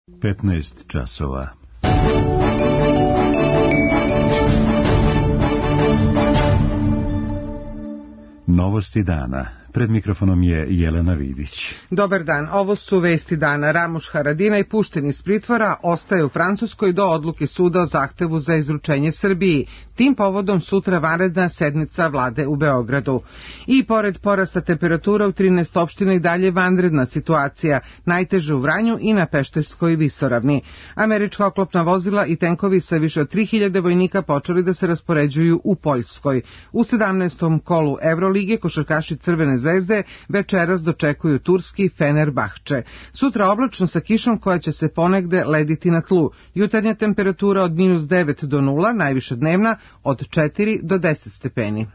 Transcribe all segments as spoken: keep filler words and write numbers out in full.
petnaest časova. Novosti dana. Pred mikrofonom je Jelena Vidić. Dobar dan, ovo su vesti dana. Ramuš Haradinaj pušten iz pritvora, ostaje u Francuskoj do odluke suda o zahtevu za izručenje Srbiji. Tim povodom sutra vanredna sednica vlade u Beogradu. I pored porasta temperatura u trinaest opština i dalje vanredna situacija, najteže u Vranju i na Pešterskoj visoravni. Američka oklopna vozila i tenkovi sa više od tri hiljade vojnika počeli da se raspoređuju u Poljskoj. U sedamnaestom kolu Evrolige košarkaši Crvene zvezde večeras dočekuju turski Fenerbahče. Sutra oblačno sa kišom koja će se ponegde lediti na tlu. Jutarnja temperatura od minus devet do nula, najviša dnevna od četiri do deset stepeni.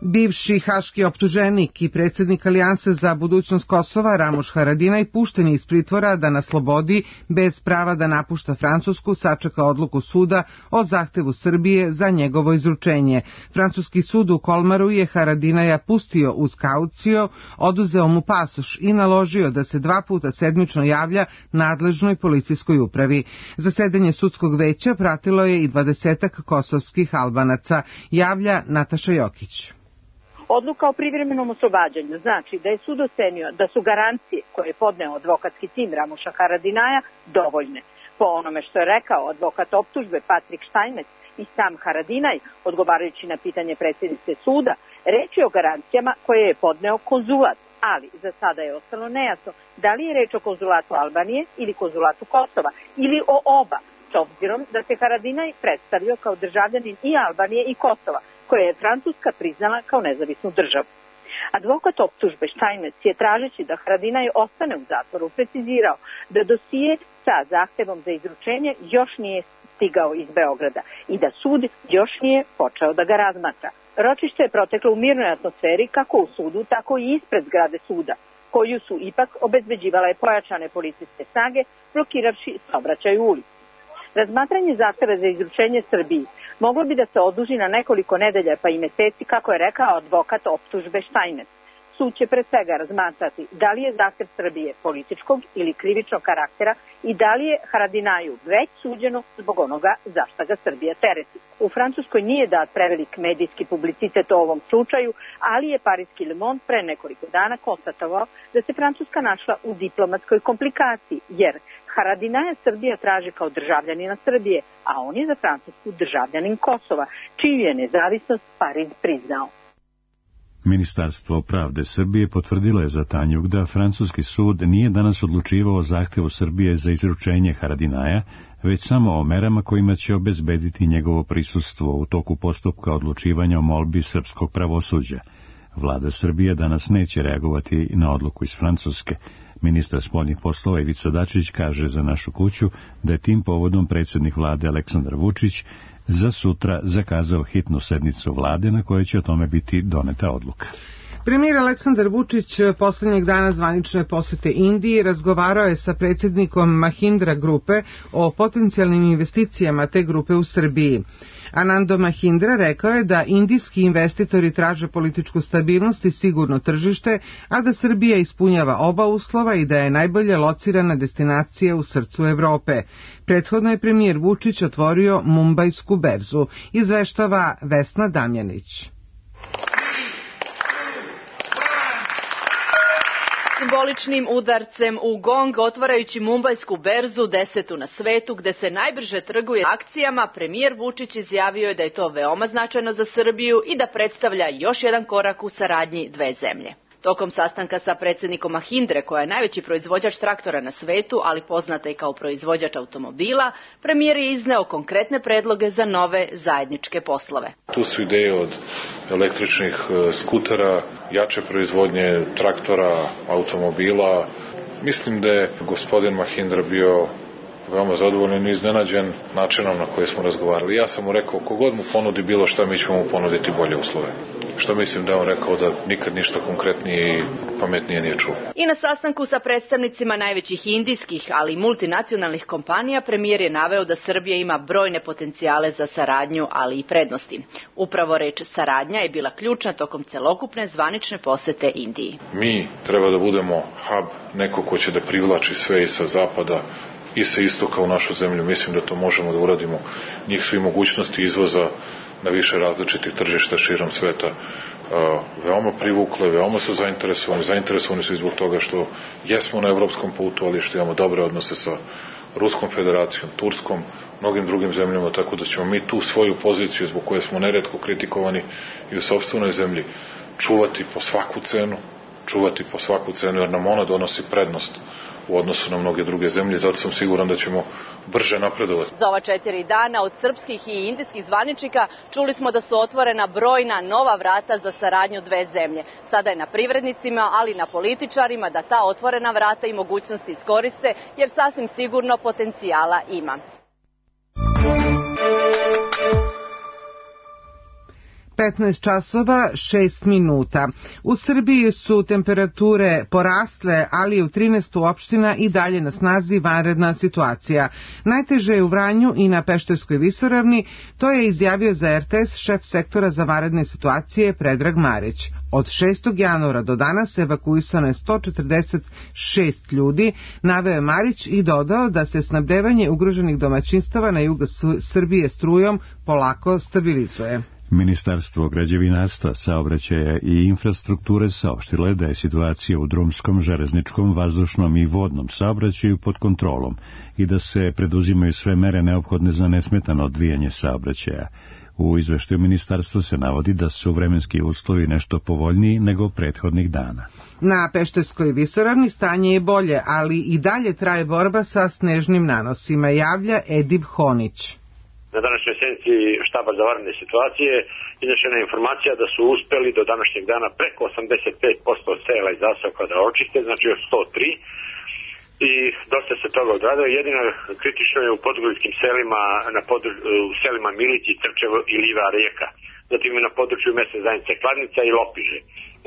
Bivši haški optuženik i predsjednik Alijanse za budućnost Kosova Ramuš Haradinaj pušten je iz pritvora da na slobodi, bez prava da napušta Francusku, sačeka odluku suda o zahtevu Srbije za njegovo izručenje. Francuski sud u Kolmaru je Haradinaja pustio uz kaucio, oduzeo mu pasoš i naložio da se dva puta sedmično javlja nadležnoj policijskoj upravi. Zasedanje sudskog veća pratilo je i dvadesetak kosovskih Albanaca, javlja Nataša Jokić. Odluka o privremenom oslobađanju znači da je sud ocenio da su garancije koje je podneo advokatski tim Ramuša Haradinaja dovoljne. Po onome što je rekao advokat optužbe Patrik Štajnec i sam Haradinaj, odgovarajući na pitanje predsjednice suda, reč je o garancijama koje je podneo konzulat, ali za sada je ostalo nejasno da li je reč o konzulatu Albanije ili konzulatu Kosova ili o oba, s obzirom da se Haradinaj predstavio kao državljanin i Albanije i Kosova, koje je Francuska priznala kao nezavisnu državu. Advokat optužbe Štajnec je, tražeći da Haradinaj ostane u zatvoru, precizirao da dosije sa zahtevom za izručenje još nije stigao iz Beograda i da sud još nije počeo da ga razmatra. Ročište je proteklo u mirnoj atmosferi kako u sudu, tako i ispred zgrade suda, koju su ipak obezbeđivale pojačane policijske snage, blokiravši saobraćaj u ulici. Razmatranje zahteva za izručenje Srbiji moglo bi da se oduži na nekoliko nedelja pa i meseci, kako je rekao advokat optužbe Štajnec. Sud će pre svega razmatrati da li je zahtev Srbije političkog ili krivičnog karaktera i da li je Haradinaju već suđeno zbog onoga za šta ga Srbija tereti. U Francuskoj nije dat prevelik medijski publicitet o ovom slučaju, ali je pariski Le Monde pre nekoliko dana konstatovao da se Francuska našla u diplomatskoj komplikaciji, jer Haradinaja Srbija traži kao državljanina Srbije, a on je za Francusku državljanin Kosova, čiju je nezavisnost Pariz priznao. Ministarstvo pravde Srbije potvrdilo je za Tanjug da francuski sud nije danas odlučivao o zahtevu Srbije za izručenje Haradinaja, već samo o merama kojima će obezbediti njegovo prisustvo u toku postupka odlučivanja o molbi srpskog pravosuđa. Vlada Srbije danas neće reagovati na odluku iz Francuske. Ministar spoljnih poslova Ivica Dačić kaže za Našu kuću da je tim povodom predsjednik vlade Aleksandar Vučić za sutra zakazao hitnu sednicu vlade na kojoj će o tome biti doneta odluka. Premijer Aleksandar Vučić posljednjeg dana zvanične posete Indiji razgovarao je sa predsjednikom Mahindra grupe o potencijalnim investicijama te grupe u Srbiji. Anando Mahindra rekao je da indijski investitori traže političku stabilnost i sigurno tržište, a da Srbija ispunjava oba uslova i da je najbolje locirana destinacija u srcu Evrope. Prethodno je premijer Vučić otvorio Mumbajsku berzu, izveštava Vesna Damjanić. Simboličnim udarcem u gong otvarajući Mumbajsku berzu, desetu na svetu, gde se najbrže trguje akcijama, premijer Vučić izjavio je da je to veoma značajno za Srbiju i da predstavlja još jedan korak u saradnji dve zemlje. Tokom sastanka sa predsjednikom Mahindre, koja je najveći proizvođač traktora na svetu, ali poznata i kao proizvođač automobila, premijer je izneo konkretne predloge za nove zajedničke poslove. Tu su ideje od električnih skutera, jače proizvodnje traktora, automobila. Mislim da je gospodin Mahindra bio veoma zadovoljan i iznenađen načinom na koji smo razgovarali. Ja sam mu rekao, kogod mu ponudi bilo šta, mi ćemo mu ponuditi bolje uslove. što mislim da je on rekao da nikad ništa konkretnije i pametnije nije čuo. I na sastanku sa predstavnicima najvećih indijskih, ali i multinacionalnih kompanija, premijer je naveo da Srbija ima brojne potencijale za saradnju, ali i prednosti. Upravo reč saradnja je bila ključna tokom celokupne zvanične posete Indiji. Mi treba da budemo hub, neko ko će da privlači sve i sa zapada i sa istoka u našu zemlju. Mislim da to možemo da uradimo. Njih su i mogućnosti izvoza na više različitih tržišta širom sveta veoma privukle, veoma su zainteresovani. Zainteresovani su i zbog toga što jesmo na evropskom putu, ali što imamo dobre odnose sa Ruskom federacijom, Turskom, mnogim drugim zemljama, tako da ćemo mi tu svoju poziciju, zbog koje smo neretko kritikovani i u sopstvenoj zemlji, čuvati po svaku cenu, čuvati po svaku cenu, jer nam ona donosi prednost u odnosu na mnoge druge zemlje, zato sam siguran da ćemo brže napredovati. Za ova četiri dana od srpskih i indijskih zvaničnika čuli smo da su otvorena brojna nova vrata za saradnju dve zemlje. Sada je na privrednicima, ali i na političarima da ta otvorena vrata i mogućnosti iskoriste, jer sasvim sigurno potencijala ima. petnaest časova šest minuta. U Srbiji su temperature porasle, ali u trinaest opština i dalje na snazi vanredna situacija. Najteže je u Vranju i na Pešterskoj visoravni, to je izjavio za er te es šef sektora za vanredne situacije Predrag Marić. Od šestog januara do danas evakuisano je sto četrdeset šest ljudi, naveo je Marić i dodao da se snabdevanje ugroženih domaćinstava na jugu Srbije strujom polako stabilizuje. Ministarstvo građevinarstva, saobraćaja i infrastrukture saopštilo je da je situacija u drumskom, železničkom, vazdušnom i vodnom saobraćaju pod kontrolom i da se preduzimaju sve mere neophodne za nesmetano odvijanje saobraćaja. U izveštaju ministarstva se navodi da su vremenski uslovi nešto povoljniji nego prethodnih dana. Na Pešterskoj visoravni stanje je bolje, ali i dalje traje borba sa snežnim nanosima, javlja Edib Honić. Na današnjoj sednici štaba za vanredne situacije iznešena je informacija da su uspeli do današnjeg dana preko osamdeset pet posto sela i zaseoka da očiste, znači od sto tri, i dosta se toga odradilo. Jedino kritično je u podgoričkim selima, na podru, u selima Milići, Trčevo i Liva Rijeka, zatim i na području mesne zajednice Kladnica i Lopiže.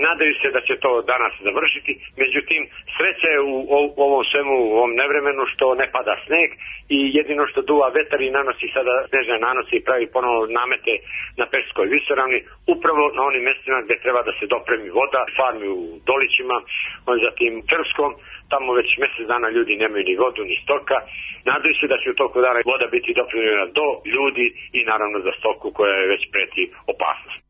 Nadaju se da će to danas završiti, međutim sreća je u, u ovom svemu, u ovom nevremenu što ne pada sneg i jedino što duva vetar i nanosi sada snežne nanose i pravi ponovo namete na Pešterskoj visoravni, upravo na onim mestima gde treba da se dopremi voda, farmi u Dolićima, on zatim Trskom, tamo već mesec dana ljudi nemaju ni vodu ni stoka. Nadaju se da će u toku dana voda biti dopremljena do ljudi i naravno za stoku koja je već preti opasnost.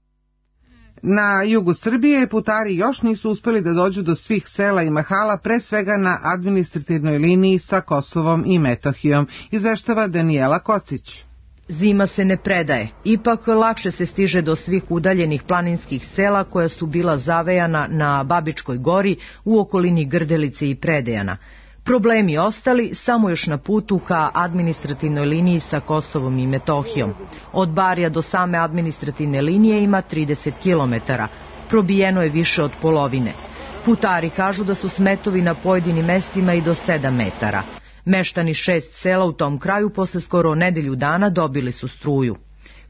Na jugu Srbije putari još nisu uspeli da dođu do svih sela i mahala, pre svega na administrativnoj liniji sa Kosovom i Metohijom, izveštava Danijela Kocić. Zima se ne predaje, ipak lakše se stiže do svih udaljenih planinskih sela koja su bila zavejana na Babičkoj gori u okolini Grdelice i Predejana. Problemi ostali samo još na putu ka administrativnoj liniji sa Kosovom i Metohijom. Od Barija do same administrativne linije ima trideset kilometara, probijeno je više od polovine. Putari kažu da su smetovi na pojedinim mestima i do sedam metara. Meštani šest sela u tom kraju posle skoro nedelju dana dobili su struju.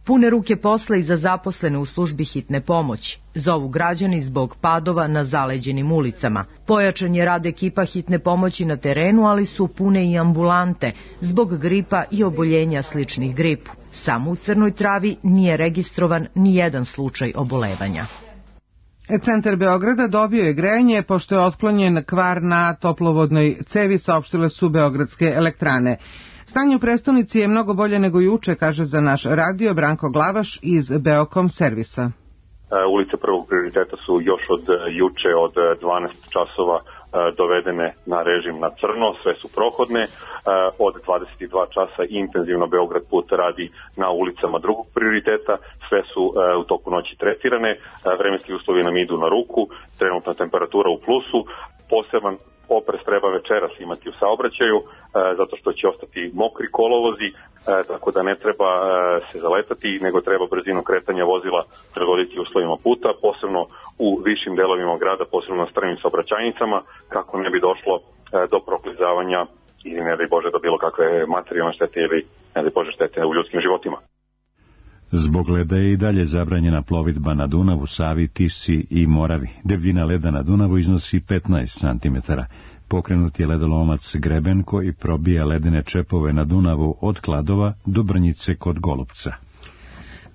Pune ruke posla i za zaposlene u službi hitne pomoći. Zovu građani zbog padova na zaleđenim ulicama. Pojačan je rad ekipa hitne pomoći na terenu, ali su pune i ambulante zbog gripa i oboljenja sličnih gripu. Samo u Crnoj Travi nije registrovan ni jedan slučaj obolevanja. Centar Beograda dobio je grejanje pošto je otklonjen kvar na toplovodnoj cevi, saopštile su Beogradske elektrane. Stanje u prestonici je mnogo bolje nego juče, kaže za naš radio Branko Glavaš iz Beokom servisa. Ulice prvog prioriteta su još od juče od dvanaest časova dovedene na režim na crno, sve su prohodne. Od dvadeset dva časa intenzivno Beograd put radi na ulicama drugog prioriteta, sve su u toku noći tretirane, vremenski uslovi nam idu na ruku, trenutna temperatura u plusu, poseban oprez treba večeras imati u saobraćaju, e, zato što će ostati mokri kolovozi, e, tako da ne treba e, se zaletati, nego treba brzinu kretanja vozila prilagoditi uslovima puta, posebno u višim delovima grada, posebno na strmim saobraćajnicama, kako ne bi došlo e, do proklizavanja i ne daj Bože do bilo kakve materijalne štete ili ne daj Bože štete u ljudskim životima. Zbog leda je i dalje zabranjena plovidba na Dunavu, Savi, Tisi i Moravi. Debljina leda na Dunavu iznosi petnaest centimetara. Pokrenut je ledolomac Greben koji probija ledene čepove na Dunavu od Kladova do Brnjice kod Golupca.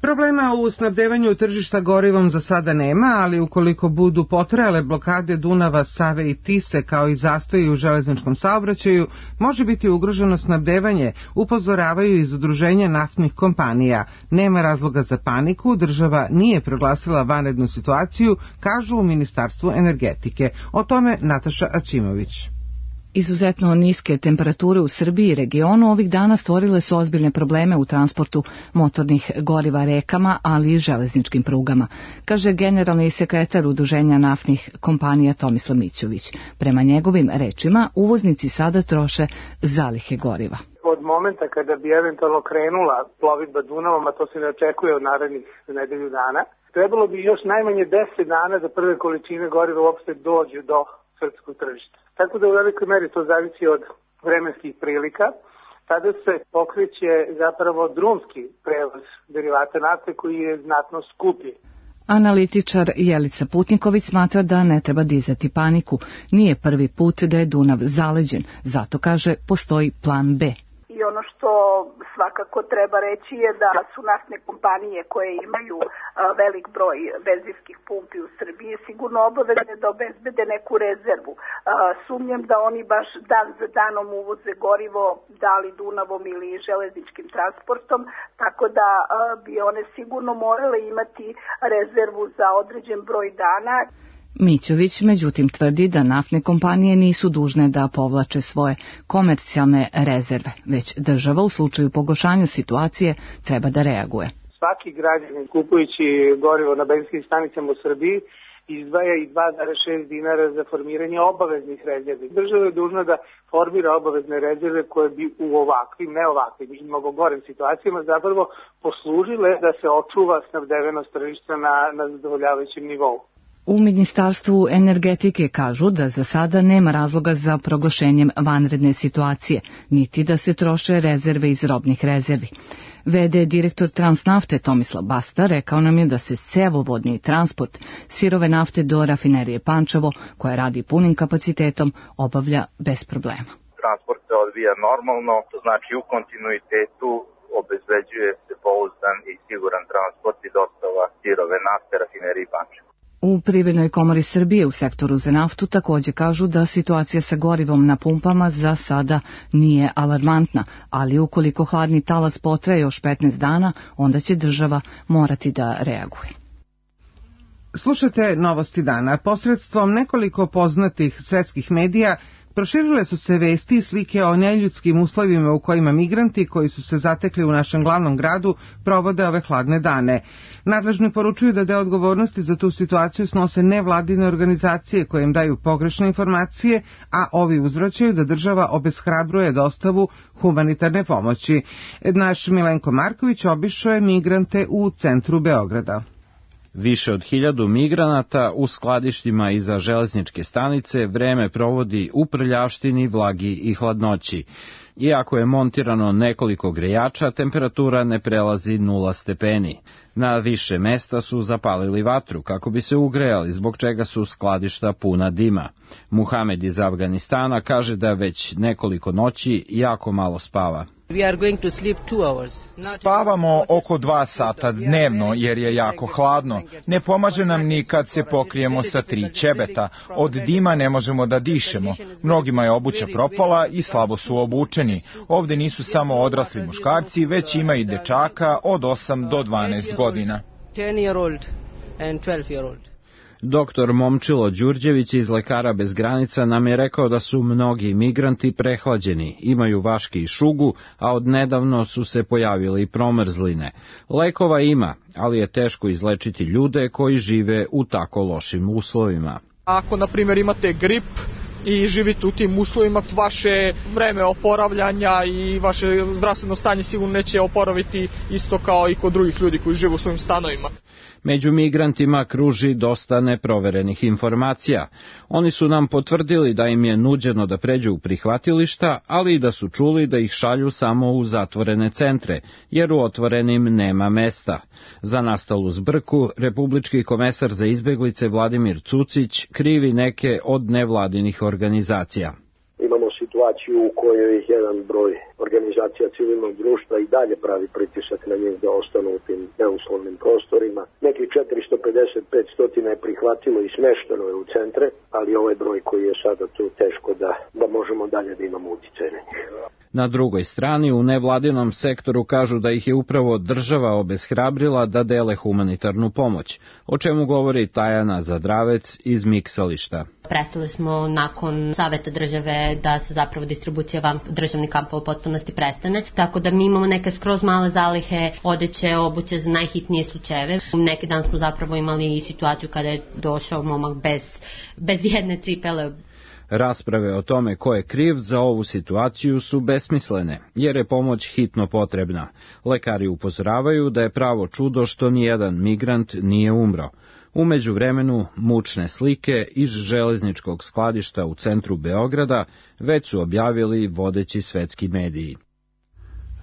Problema u snabdevanju tržišta gorivom za sada nema, ali ukoliko budu potrajale blokade Dunava, Save i Tise kao i zastoji u železničkom saobraćaju, može biti ugroženo snabdevanje, upozoravaju iz udruženja naftnih kompanija. Nema razloga za paniku, država nije proglasila vanrednu situaciju, kažu u Ministarstvu energetike. O tome Nataša Aćimović. Izuzetno niske temperature u Srbiji i regionu ovih dana stvorile su ozbiljne probleme u transportu motornih goriva rekama, ali i železničkim prugama, kaže generalni sekretar Udruženja naftnih kompanija Tomislav Mićović. Prema njegovim rečima, uvoznici sada troše zalihe goriva. Od momenta kada bi eventualno krenula plovidba Dunavom, a to se ne očekuje od narednih nedelju dana, trebalo bi još najmanje deset dana da prve količine goriva uopšte dođu do srpskog tržišta. Tako da u velikoj meri to zavisi od vremenskih prilika. Tada se pokreće zapravo drumski prevoz derivata nafte koji je znatno skuplji. Analitičar Jelica Putniković smatra da ne treba dizati paniku. Nije prvi put da je Dunav zaleđen, zato kaže postoji plan B. I ono što svakako treba reći je da su naftne kompanije koje imaju velik broj benzinskih pumpi u Srbiji sigurno obavezne da obezbede neku rezervu. Sumnjam da oni baš dan za danom uvoze gorivo, da li Dunavom ili železničkim transportom, tako da bi one sigurno morale imati rezervu za određen broj dana. Mićović međutim tvrdi da naftne kompanije nisu dužne da povlače svoje komercijalne rezerve, već država u slučaju pogoršanja situacije treba da reaguje. Svaki građanin kupujući gorivo na benzinskim stanicama u Srbiji izdvaja i dva zarez šest dinara za formiranje obaveznih rezervi. Država je dužna da formira obavezne rezerve koje bi u ovakvim, ne ovakvim i mnogo gorim situacijama zapravo poslužile da se očuva snabdevenost tržišta na, na zadovoljavajućem nivou. U Ministarstvu energetike kažu da za sada nema razloga za proglašenjem vanredne situacije, niti da se troše rezerve iz robnih rezervi. V D direktor Transnafte Tomislav Basta rekao nam je da se cevovodni transport sirove nafte do rafinerije Pančevo, koja radi punim kapacitetom, obavlja bez problema. Transport se odvija normalno, to znači u kontinuitetu obezbeđuje se pouzdan i siguran transport i dostava sirove nafte rafineriji Pančevo. U Privrednoj komori Srbije u sektoru za naftu također kažu da situacija sa gorivom na pumpama za sada nije alarmantna, ali ukoliko hladni talas potraje još petnaest dana, onda će država morati da reaguje. Slušate Novosti dana. Posredstvom nekoliko poznatih svetskih medija proširile su se vesti i slike o neljudskim uslovima u kojima migranti koji su se zatekli u našem glavnom gradu provode ove hladne dane. Nadležni poručuju da deo odgovornosti za tu situaciju snose nevladine organizacije koje im daju pogrešne informacije, a ovi uzvraćaju da država obeshrabruje dostavu humanitarne pomoći. Naš Milenko Marković obišao je migrante u centru Beograda. Više od hiljadu migranata u skladištima iza železničke stanice vreme provodi u prljavštini, vlagi i hladnoći. Iako je montirano nekoliko grejača, temperatura ne prelazi nula stepeni. Na više mesta su zapalili vatru kako bi se ugrejali, zbog čega su skladišta puna dima. Muhamed iz Afganistana kaže da već nekoliko noći jako malo spava. Spavamo oko dva sata dnevno jer je jako hladno. Ne pomaže nam ni kad se pokrijemo sa tri ćebeta. Od dima ne možemo da dišemo. Mnogima je obuća propala i slabo su obučeni. Ovde nisu samo odrasli muškarci, već ima i dečaka od osam do dvanaest godina. Doktor Momčilo Đurđević iz Lekara bez granica nam je rekao da su mnogi migranti prehlađeni, imaju vaške i šugu, a odnedavno su se pojavile i promrzline. Lekova ima, ali je teško izlečiti ljude koji žive u tako lošim uslovima. Ako, na primjer, imate grip i živite u tim uslovima, vaše vreme oporavljanja i vaše zdravstveno stanje sigurno neće oporaviti isto kao i kod drugih ljudi koji žive u svojim stanovima. Među migrantima kruži dosta neproverenih informacija. Oni su nam potvrdili da im je nuđeno da pređu u prihvatilišta, ali i da su čuli da ih šalju samo u zatvorene centre, jer u otvorenim nema mesta. Za nastalu zbrku, republički komesar za izbeglice Vladimir Cucić krivi neke od nevladinih organizacija. Imamo situaciju u kojoj jedan broj organizacija civilnog društva i dalje pravi pritisak na njih da ostanu u tim neuslovnim prostorima. Neki četiristo pedeset do petsto je prihvatilo i smešteno je u centre, ali ovaj broj koji je sada tu teško da, da možemo dalje da imamo utjecaj na njih. Na drugoj strani, u nevladinom sektoru kažu da ih je upravo država obeshrabrila da dele humanitarnu pomoć, o čemu govori Tajana Zadravec iz Miksališta. Prestali smo nakon saveta države da se zapravo distribucija van državnih kampova u potpunosti prestane, tako da mi imamo neke skroz male zalihe odeće, obuće za najhitnije slučajeve. Neki dan smo zapravo imali i situaciju kada je došao momak bez, bez jedne cipele. Rasprave o tome ko je kriv za ovu situaciju su besmislene, jer je pomoć hitno potrebna. Lekari upozoravaju da je pravo čudo što nijedan migrant nije umro. U međuvremenu, mučne slike iz železničkog skladišta u centru Beograda već su objavili vodeći svetski mediji.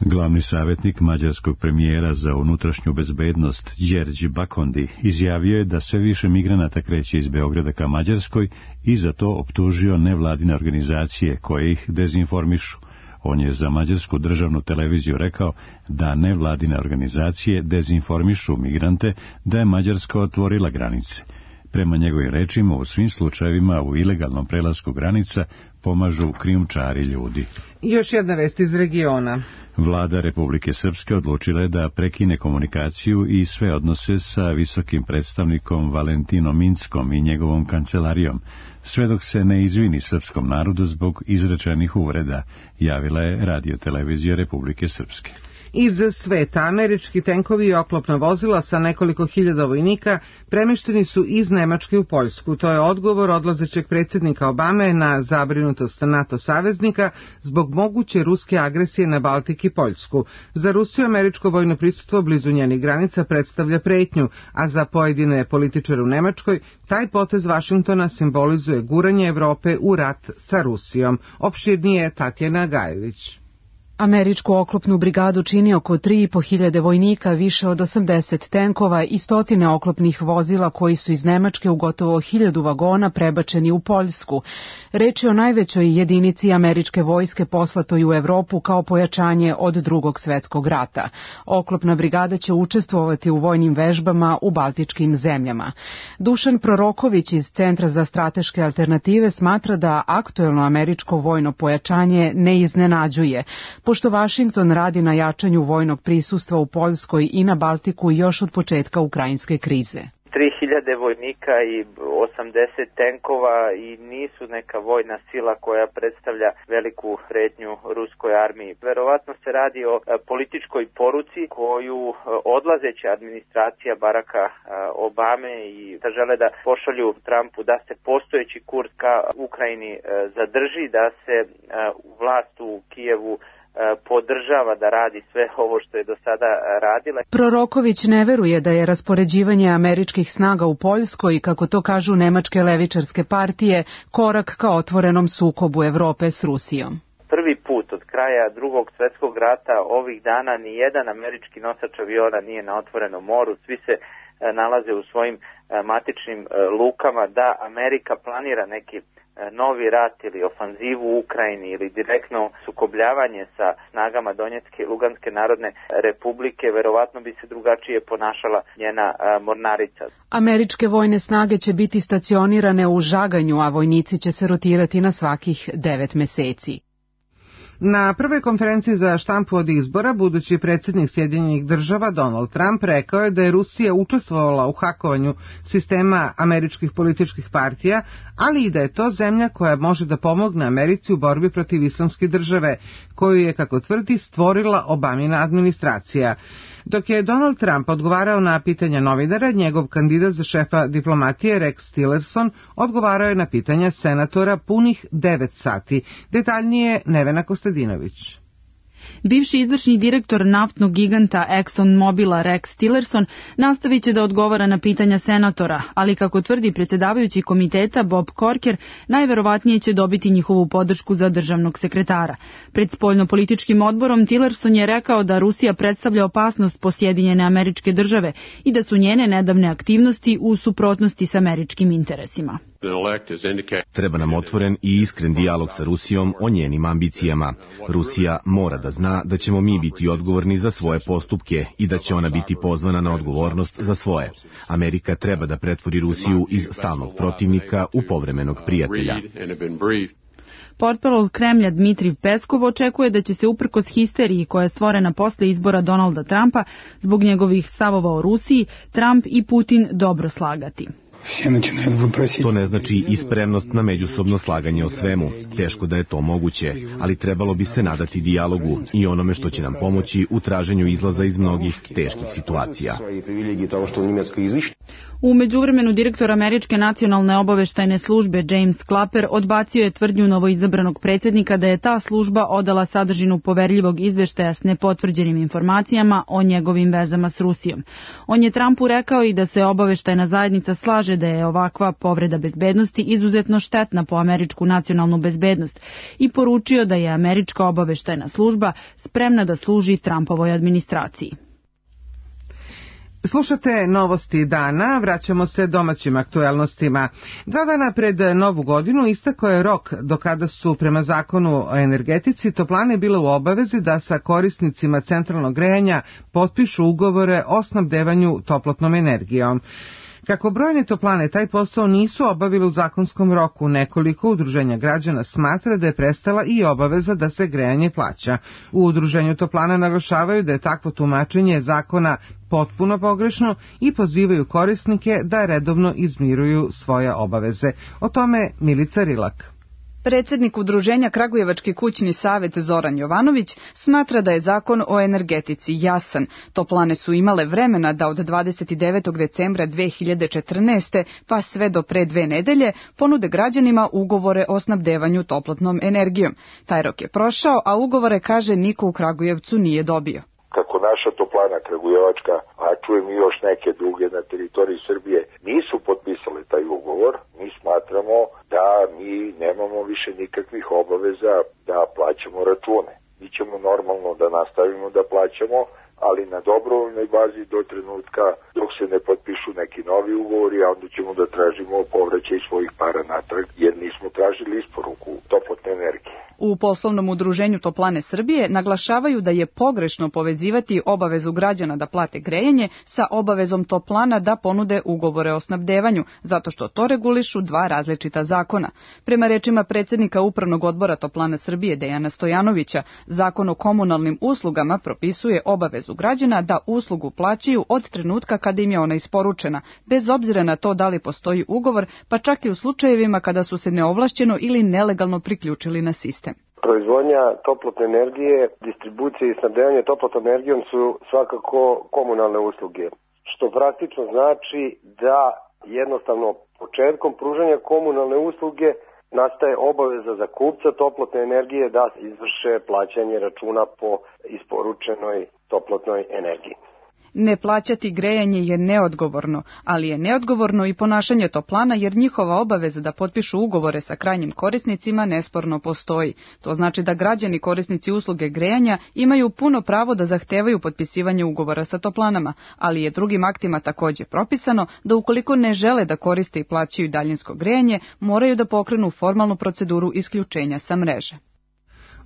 Glavni savjetnik mađarskog premijera za unutrašnju bezbednost Đerđi Bakondi izjavio je da sve više migranata kreće iz Beograda ka Mađarskoj i za to optužio nevladine organizacije koje ih dezinformišu. On je za mađarsku državnu televiziju rekao da nevladine organizacije dezinformišu migrante da je Mađarska otvorila granice. Prema njegovim rečima, u svim slučajevima u ilegalnom prelasku granica pomažu krijumčari ljudi. Još jedna vest iz regiona. Vlada Republike Srpske odlučila je da prekine komunikaciju i sve odnose sa visokim predstavnikom Valentinom Inckom i njegovom kancelarijom, sve dok se ne izvini srpskom narodu zbog izrečenih uvreda, javila je Radio-televizija Republike Srpske. Iz sveta američki tenkovi i oklopna vozila sa nekoliko hiljada vojnika premešteni su iz Nemačke u Poljsku. To je odgovor odlazećeg predsjednika Obame na zabrinutost NATO saveznika zbog moguće ruske agresije na Baltik i Poljsku. Za Rusiju američko vojno prisustvo blizu njenih granica predstavlja pretnju, a za pojedine političare u Nemačkoj taj potez Vašingtona simbolizuje guranje Evrope u rat sa Rusijom. Opširnije Tatjana Gajević. Američku oklopnu brigadu čini oko tri i po hiljade vojnika, više od osamdeset tenkova i stotine oklopnih vozila koji su iz Nemačke u gotovo hiljadu vagona prebačeni u Poljsku. Reč je o najvećoj jedinici američke vojske poslatoj u Evropu kao pojačanje od Drugog svetskog rata. Oklopna brigada će učestvovati u vojnim vežbama u baltičkim zemljama. Dušan Proroković iz Centra za strateške alternative smatra da aktuelno američko vojno pojačanje ne iznenađuje, pošto Vašington radi na jačanju vojnog prisustva u Poljskoj i na Baltiku još od početka ukrajinske krize. tri hiljade vojnika i osamdeset tenkova i nisu neka vojna sila koja predstavlja veliku pretnju ruskoj armiji. Verovatno se radi o političkoj poruci koju odlazeća administracija Baracka Obame i da žele da pošalju Trumpu da se postojeći kurs ka Ukrajini zadrži, da se vlast u Kijevu podržava da radi sve ovo što je do sada radila. Proroković ne veruje da je raspoređivanje američkih snaga u Poljskoj, kako to kažu nemačke levičarske partije, korak ka otvorenom sukobu Evrope s Rusijom. Prvi put od kraja Drugog svjetskog rata ovih dana ni jedan američki nosač aviona nije na otvorenom moru, svi se nalaze u svojim matičnim lukama. Da Amerika planira neki novi rat ili ofanzivu u Ukrajini ili direktno sukobljavanje sa snagama Donjecke i Luganske narodne republike, verovatno bi se drugačije ponašala njena mornarica. Američke vojne snage će biti stacionirane u Žaganju, a vojnici će se rotirati na svakih devet meseci. Na prvoj konferenciji za štampu od izbora, budući predsjednik Sjedinjenih država Donald Trump rekao je da je Rusija učestvovala u hakovanju sistema američkih političkih partija, ali i da je to zemlja koja može da pomogne Americi u borbi protiv islamske države, koju je, kako tvrdi, stvorila Obamina administracija. Dok je Donald Trump odgovarao na pitanja novinara, njegov kandidat za šefa diplomatije Rex Tillerson odgovarao je na pitanja senatora punih devet sati. Detaljnije Nevena Kostadinović. Bivši izvršni direktor naftnog giganta ExxonMobila Rex Tillerson nastavit će da odgovara na pitanja senatora, ali kako tvrdi predsjedavajući komiteta Bob Corker, najverovatnije će dobiti njihovu podršku za državnog sekretara. Pred spoljnopolitičkim odborom Tillerson je rekao da Rusija predstavlja opasnost po Sjedinjene Američke Države i da su njene nedavne aktivnosti u suprotnosti s američkim interesima. Treba nam otvoren i iskren dijalog sa Rusijom o njenim ambicijama. Rusija mora da zna da ćemo mi biti odgovorni za svoje postupke i da će ona biti pozvana na odgovornost za svoje. Amerika treba da pretvori Rusiju iz stalnog protivnika u povremenog prijatelja. Portparol Kremlja Dmitrij Peskov očekuje da će se uprkos histeriji koja je stvorena posle izbora Donalda Trumpa zbog njegovih stavova o Rusiji, Trump i Putin dobro slagati. To ne znači i spremnost na međusobno slaganje o svemu. Teško da je to moguće, ali trebalo bi se nadati dijalogu i onome što će nam pomoći u traženju izlaza iz mnogih teških situacija. U međuvremenu direktor Američke nacionalne obaveštajne službe James Clapper odbacio je tvrdnju novoizabranog predsjednika da je ta služba odala sadržinu poverljivog izveštaja s nepotvrđenim informacijama o njegovim vezama s Rusijom. On je Trumpu rekao i da se obaveštajna zajednica slaže da je ovakva povreda bezbednosti izuzetno štetna po američku nacionalnu bezbednost i poručio da je američka obaveštajna služba spremna da služi Trumpovoj administraciji. Slušate novosti dana, vraćamo se domaćim aktuelnostima. Dva dana pred Novu godinu istekao je rok do kada su prema zakonu o energetici toplane bile u obavezi da sa korisnicima centralnog grejanja potpišu ugovore o snabdevanju toplotnom energijom. Kako brojne toplane taj posao nisu obavili u zakonskom roku, nekoliko udruženja građana smatra da je prestala i obaveza da se grejanje plaća. U udruženju toplana naglašavaju da je takvo tumačenje zakona potpuno pogrešno i pozivaju korisnike da redovno izmiruju svoje obaveze. O tome Milica Rilak. Predsjednik udruženja Kragujevački kućni savjet Zoran Jovanović smatra da je zakon o energetici jasan. Toplane su imale vremena da od dvadeset devetog decembra dve hiljade četrnaeste pa sve do pre dve nedelje ponude građanima ugovore o snabdevanju toplotnom energijom. Taj rok je prošao, a ugovore, kaže, niko u Kragujevcu nije dobio. Kako naša toplana Kragujevačka, a čujem i još neke druge na teritoriji Srbije, nisu potpisale taj ugovor, mi smatramo da mi nemamo više nikakvih obaveza da plaćamo račune. Mi ćemo normalno da nastavimo da plaćamo, ali na dobrovoljnoj bazi do trenutka dok se ne potpišu neki novi ugovori, a onda ćemo da tražimo povraćaj svojih para natrag, jer nismo tražili isporuku toplotne energije. U poslovnom udruženju Toplane Srbije naglašavaju da je pogrešno povezivati obavezu građana da plate grejanje sa obavezom toplana da ponude ugovore o snabdevanju, zato što to regulišu dva različita zakona. Prema rečima predsjednika Upravnog odbora Toplana Srbije Dejana Stojanovića, zakon o komunalnim uslugama propisuje obavezu građana da uslugu plaćaju od trenutka kada im je ona isporučena, bez obzira na to da li postoji ugovor, pa čak i u slučajevima kada su se neovlašćeno ili nelegalno priključili na sistem. Proizvodnja toplotne energije, distribucija i snabdevanje toplotnom energijom su svakako komunalne usluge, što praktično znači da jednostavno početkom pružanja komunalne usluge nastaje obaveza za kupca toplotne energije da izvrše plaćanje računa po isporučenoj toplotnoj energiji. Ne plaćati grejanje je neodgovorno, ali je neodgovorno i ponašanje toplana jer njihova obaveza da potpišu ugovore sa krajnjim korisnicima nesporno postoji. To znači da građani korisnici usluge grejanja imaju puno pravo da zahtevaju potpisivanje ugovora sa toplanama, ali je drugim aktima također propisano da ukoliko ne žele da koriste i plaćaju daljinsko grejanje, moraju da pokrenu formalnu proceduru isključenja sa mreže.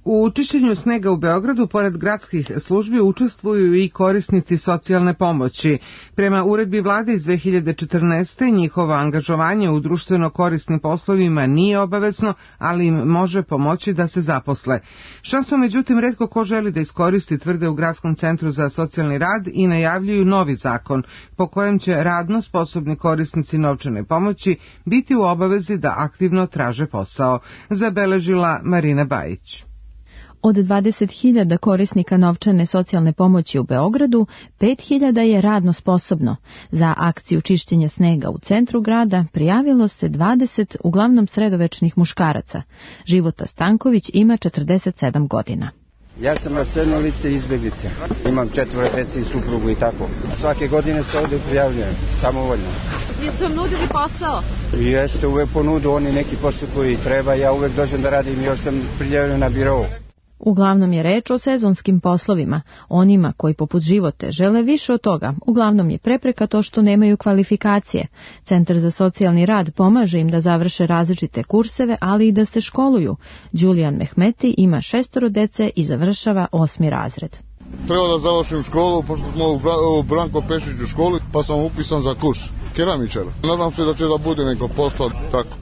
U čišćenju snega u Beogradu, pored gradskih službi, učestvuju i korisnici socijalne pomoći. Prema uredbi vlade iz dve hiljade četrnaeste. njihovo angažovanje u društveno korisnim poslovima nije obavezno, ali im može pomoći da se zaposle. Šansu, međutim, retko ko želi da iskoristi, tvrde u Gradskom centru za socijalni rad i najavljuju novi zakon, po kojem će radno sposobni korisnici novčane pomoći biti u obavezi da aktivno traže posao, zabeležila Marina Bajić. Od dvadeset hiljada korisnika novčane socijalne pomoći u Beogradu, pet hiljada je radno sposobno. Za akciju čišćenja snega u centru grada prijavilo se dvadeset uglavnom sredovečnih muškaraca. Života Stanković ima četrdeset sedam godina. Ja sam raseljeno lice izbeglice. Imam četvore dece i suprugu i tako. Svake godine se ovde prijavljujem, samovoljno. Jesu vam nudili posao? Jeste, uvek ponudu oni neki posao koji treba, ja uvek dođem da radim, još sam prijavljen na birovu. Uglavnom je reč o sezonskim poslovima. Onima koji poput Živote žele više od toga, uglavnom je prepreka to što nemaju kvalifikacije. Centar za socijalni rad pomaže im da završe različite kurseve, ali i da se školuju. Đulijan Mehmeti ima šestoro dece i završava osmi razred. Treba da završim školu, pošto smo u Branko Pešić u školi, pa sam upisan za kurs keramičara. Nadam se da će da bude neko posla tako.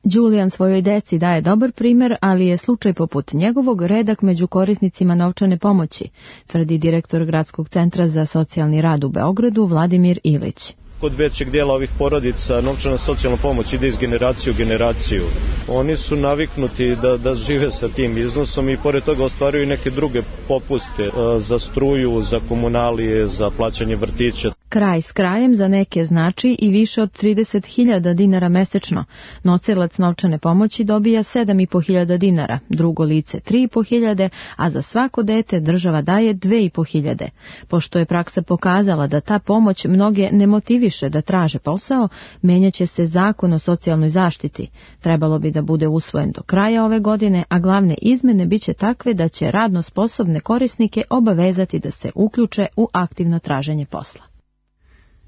Đulijan svojoj deci daje dobar primer, ali je slučaj poput njegovog redak među korisnicima novčane pomoći, tvrdi direktor Gradskog centra za socijalni rad u Beogradu Vladimir Ilić. Kod većeg dijela ovih porodica novčana socijalna pomoć ide iz generacije u generaciju. Oni su naviknuti da, da žive sa tim iznosom i pored toga ostvaruju neke druge popuste za struju, za komunalije, za plaćanje vrtića. Kraj s krajem za neke znači i više od trideset hiljada dinara mesečno. Nosilac novčane pomoći dobija sedam i po hiljada dinara, drugo lice tri i po hiljade, a za svako dete država daje dve i po hiljade. Pošto je praksa pokazala da ta pomoć mnoge ne motiviše da traže posao, menjaće se zakon o socijalnoj zaštiti. Trebalo bi da bude usvojen do kraja ove godine, a glavne izmene biće takve da će radno sposobne korisnike obavezati da se uključe u aktivno traženje posla.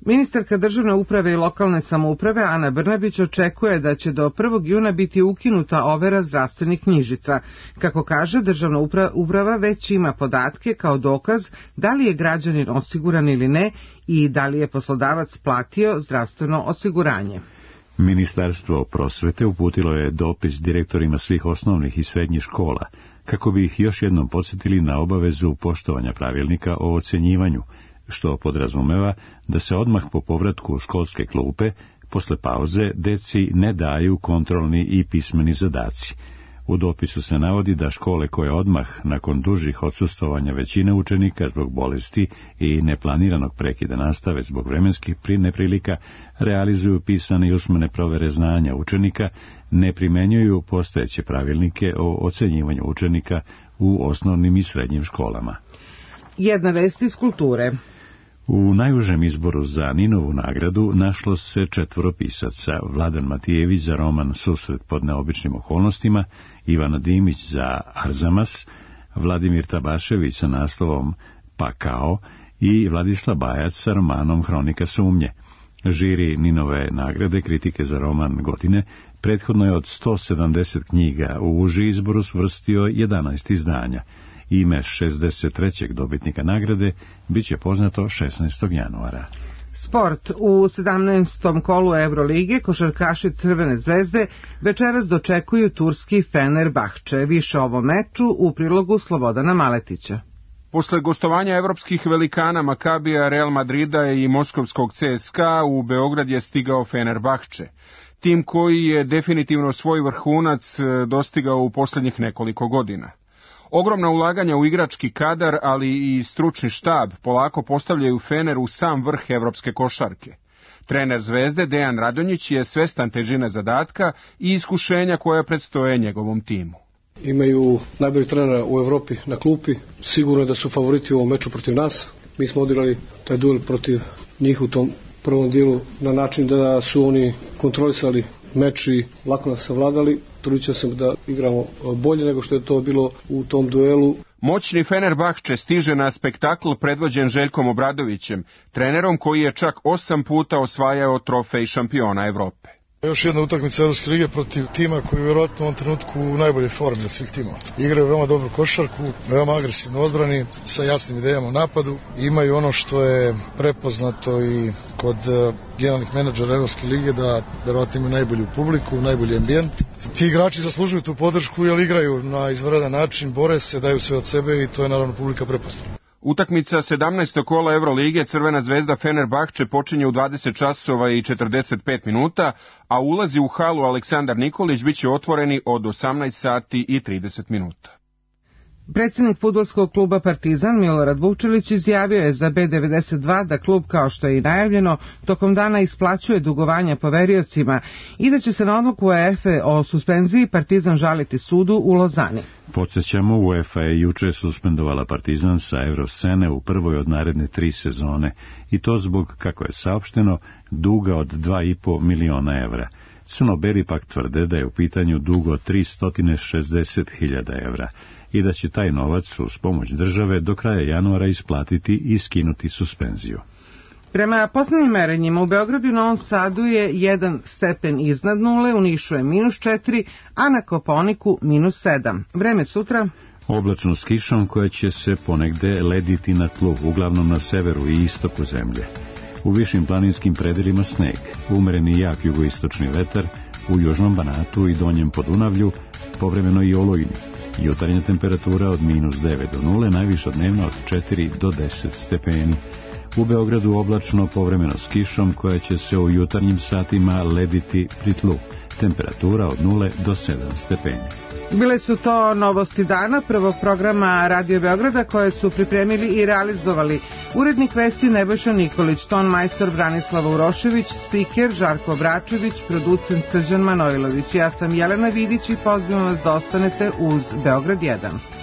Ministarka državne uprave i lokalne samouprave Ana Brnabić očekuje da će do prvog juna biti ukinuta overa zdravstvenih knjižica. Kako kaže, državna uprava već ima podatke kao dokaz da li je građanin osiguran ili ne i da li je poslodavac platio zdravstveno osiguranje. Ministarstvo prosvete uputilo je dopis direktorima svih osnovnih i srednjih škola, kako bi ih još jednom podsjetili na obavezu poštovanja pravilnika o ocenjivanju, što podrazumeva da se odmah po povratku u školske klupe, posle pauze, deci ne daju kontrolni i pismeni zadaci. U dopisu se navodi da škole koje odmah, nakon dužih odsustovanja većine učenika zbog bolesti i neplaniranog prekida nastave zbog vremenskih neprilika, realizuju pisane i usmene provere znanja učenika, ne primenjuju postojeće pravilnike o ocenjivanju učenika u osnovnim i srednjim školama. Jedna vest iz kulture. U najužem izboru za Ninovu nagradu našlo se četvoro pisaca: Vladan Matijević za roman Susret pod neobičnim okolnostima, Ivana Dimić za Arzamas, Vladimir Tabašević sa naslovom Pakao i Vladislav Bajac sa romanom Hronika sumnje. Žiri Ninove nagrade kritike za roman godine prethodno je od sto sedamdeset knjiga u uži izboru svrstio jedanaest izdanja. Ime šezdeset trećeg dobitnika nagrade biće poznato šesnaestog januara. Sport. U sedamnaestom kolu Evrolige košarkaši Crvene zvezde večeras dočekuju turski Fenerbahče. Više o ovom meču u prilogu Slobodana Maletića. Posle gostovanja evropskih velikana Makabija, Real Madrida i moskovskog C S K A u Beograd je stigao Fenerbahče. Tim koji je definitivno svoj vrhunac dostigao u posljednjih nekoliko godina. Ogromna ulaganja u igrački kadar, ali i stručni štab polako postavljaju Fener u sam vrh evropske košarke. Trener Zvezde Dejan Radonjić je svestan težine zadatka i iskušenja koja predstoje njegovom timu. Imaju najbolji trenera u Evropi na klupi, sigurno da su favoriti u ovom meču protiv nas. Mi smo odigrali taj duel protiv njih u tom prvom dijelu na način da su oni kontrolisali meč i lako nas savladali. Trudio sam da igramo bolje nego što je to bilo u tom duelu. Moćni Fenerbahče stiže na spektakl predvođen Željkom Obradovićem, trenerom koji je čak osam puta osvajao trofej šampiona Evrope. Još jedna utakmica Evropske lige protiv tima koji je vjerojatno u ovom trenutku u najbolje formi od svih timova. Igraju veoma dobru košarku, veoma agresivno odbrani, sa jasnim idejama u napadu. Imaju ono što je prepoznato i kod generalnih menadžera Evropske lige, da vjerojatno imaju najbolju publiku, najbolji ambijent. Ti igrači zaslužuju tu podršku jer igraju na izvanredan način, bore se, daju sve od sebe i to je naravno publika prepoznala. Utakmica sedamnaestog kola Evrolige Crvena zvezda Fenerbahče počinje u dvadeset časova i četrdeset pet minuta, a ulazi u halu Aleksandar Nikolić biće otvoreni od osamnaest sati i trideset minuta. Predsjednik fudbalskog kluba Partizan Milorad Vukčelić izjavio je za B devedeset dva da klub, kao što je i najavljeno, tokom dana isplaćuje dugovanja poveriocima i da će se na odluku UEFA o suspenziji Partizan žaliti sudu u Lozani. Podsjećamo, UEFA je juče suspendovala Partizan sa Evroscene u prvoj od naredne tri sezone i to zbog, kako je saopšteno, duga od dva i po miliona evra. Crnobeli pak tvrde da je u pitanju dug od tristo šezdeset hiljada evra i da će taj novac uz pomoć države do kraja januara isplatiti i skinuti suspenziju. Prema posljednjim merenjima u Beogradu i Novom Sadu je jedan stepen iznad nule, u Nišu je minus četiri, a na Kopaoniku minus sedam. Vreme sutra? Oblačno s kišom koja će se ponegde lediti na tlu, uglavnom na severu i istoku zemlje. U višim planinskim predelima sneg, umereni jak jugoistočni vetar, u južnom Banatu i donjem Podunavlju, povremeno i olujni. Jutarnja temperatura od minus devet do nule, najviša dnevna od četiri do deset stepeni. U Beogradu oblačno, povremeno s kišom koja će se u jutarnjim satima lediti pri tlu. Temperatura od nule do sedam stepeni. Bile su to novosti dana prvog programa Radio Beograda koje su pripremili i realizovali urednik vesti Nebojša Nikolić, ton majstor Branislava Urošević, spiker Žarko Bračević, producent Srđan Manojlović. Ja sam Jelena Vidić i pozivam vas da ostanete uz Beograd jedan.